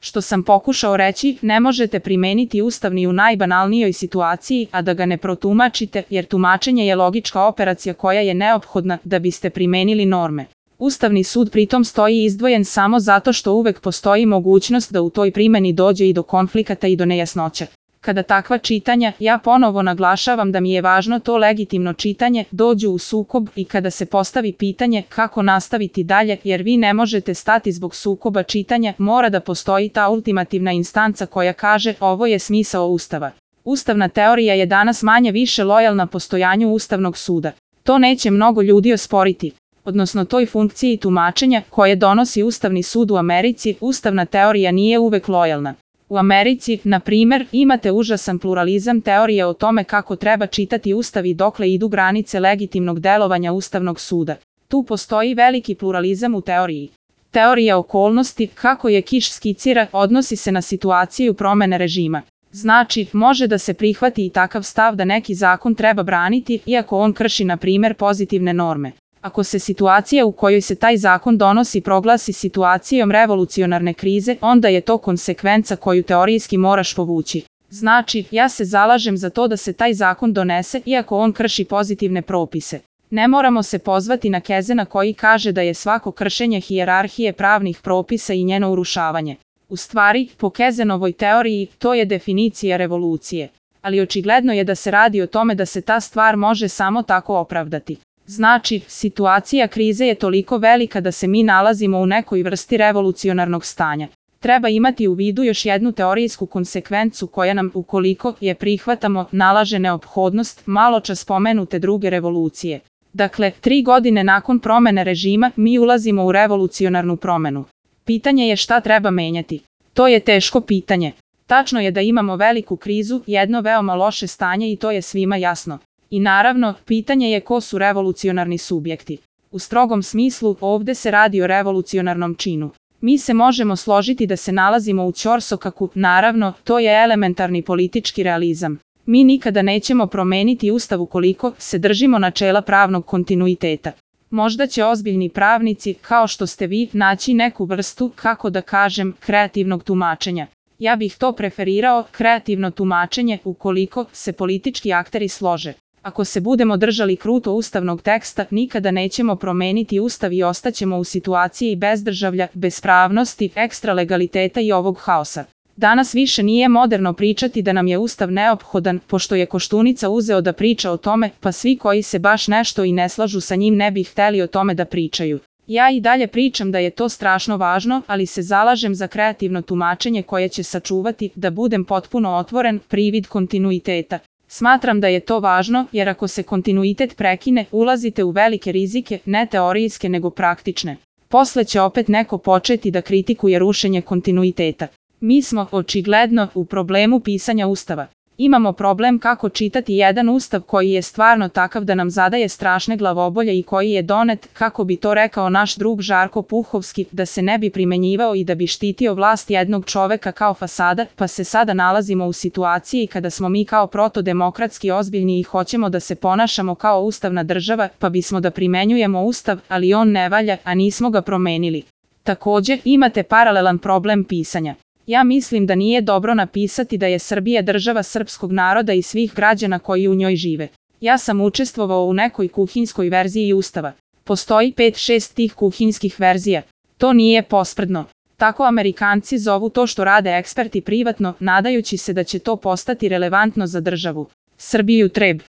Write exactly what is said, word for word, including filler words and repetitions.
Što sam pokušao reći, ne možete primeniti Ustav ni u najbanalnijoj situaciji, a da ga ne protumačite, jer tumačenje je logička operacija koja je neophodna da biste primenili norme. Ustavni sud pritom stoji izdvojen samo zato što uvek postoji mogućnost da u toj primeni dođe i do konflikata i do nejasnoća. Kada takva čitanja, ja ponovo naglašavam da mi je važno to legitimno čitanje, dođu u sukob i kada se postavi pitanje kako nastaviti dalje, jer vi ne možete stati zbog sukoba čitanja, mora da postoji ta ultimativna instanca koja kaže ovo je smisao Ustava. Ustavna teorija je danas manje više lojalna postojanju Ustavnog suda. To neće mnogo ljudi osporiti. Odnosno toj funkciji tumačenja koje donosi Ustavni sud u Americi, ustavna teorija nije uvek lojalna. U Americi, na primer, imate užasan pluralizam teorije o tome kako treba čitati Ustav i dokle idu granice legitimnog delovanja Ustavnog suda. Tu postoji veliki pluralizam u teoriji. Teorija okolnosti, kako je Kiš skicira, odnosi se na situaciju promene režima. Znači, može da se prihvati i takav stav da neki zakon treba braniti, iako on krši, na primer, pozitivne norme. Ako se situacija u kojoj se taj zakon donosi proglasi situacijom revolucionarne krize, onda je to konsekvenca koju teorijski moraš povući. Znači, ja se zalažem za to da se taj zakon donese, iako on krši pozitivne propise. Ne moramo se pozvati na Kezena koji kaže da je svako kršenje hijerarhije pravnih propisa i njeno urušavanje. U stvari, po Kezenovoj teoriji, to je definicija revolucije. Ali očigledno je da se radi o tome da se ta stvar može samo tako opravdati. Znači, situacija krize je toliko velika da se mi nalazimo u nekoj vrsti revolucionarnog stanja. Treba imati u vidu još jednu teorijsku konsekvencu koja nam, ukoliko je prihvatamo, nalaže neophodnost maločas spomenute druge revolucije. Dakle, tri godine nakon promene režima mi ulazimo u revolucionarnu promenu. Pitanje je šta treba menjati. To je teško pitanje. Tačno je da imamo veliku krizu, jedno veoma loše stanje i to je svima jasno. I naravno, pitanje je ko su revolucionarni subjekti. U strogom smislu, ovde se radi o revolucionarnom činu. Mi se možemo složiti da se nalazimo u ćorsokaku, naravno, to je elementarni politički realizam. Mi nikada nećemo promeniti Ustav ukoliko se držimo načela pravnog kontinuiteta. Možda će ozbiljni pravnici, kao što ste vi, naći neku vrstu, kako da kažem, kreativnog tumačenja. Ja bih to preferirao, kreativno tumačenje, ukoliko se politički akteri slože. Ako se budemo držali kruto ustavnog teksta, nikada nećemo promeniti Ustav i ostaćemo u situaciji bezdržavlja, bespravnosti, ekstra legaliteta i ovog haosa. Danas više nije moderno pričati da nam je Ustav neophodan, pošto je Koštunica uzeo da priča o tome, pa svi koji se baš nešto i ne slažu sa njim ne bi hteli o tome da pričaju. Ja i dalje pričam da je to strašno važno, ali se zalažem za kreativno tumačenje koje će sačuvati, da budem potpuno otvoren, privid kontinuiteta. Smatram da je to važno, jer ako se kontinuitet prekine, ulazite u velike rizike, ne teorijske nego praktične. Posle će opet neko početi da kritikuje rušenje kontinuiteta. Mi smo, očigledno, u problemu pisanja Ustava. Imamo problem kako čitati jedan Ustav koji je stvarno takav da nam zadaje strašne glavobolje i koji je donet, kako bi to rekao naš drug Žarko Puhovski, da se ne bi primenjivao i da bi štitio vlast jednog čoveka kao fasada, pa se sada nalazimo u situaciji kada smo mi kao protodemokratski ozbiljni i hoćemo da se ponašamo kao ustavna država, pa bismo da primenjujemo Ustav, ali on ne valja, a nismo ga promenili. Takođe, imate paralelan problem pisanja. Ja mislim da nije dobro napisati da je Srbija država srpskog naroda i svih građana koji u njoj žive. Ja sam učestvovao u nekoj kuhinjskoj verziji Ustava. Postoji pet šest tih kuhinjskih verzija. To nije posprdno. Tako Amerikanci zovu to što rade eksperti privatno, nadajući se da će to postati relevantno za državu. Srbiju treb.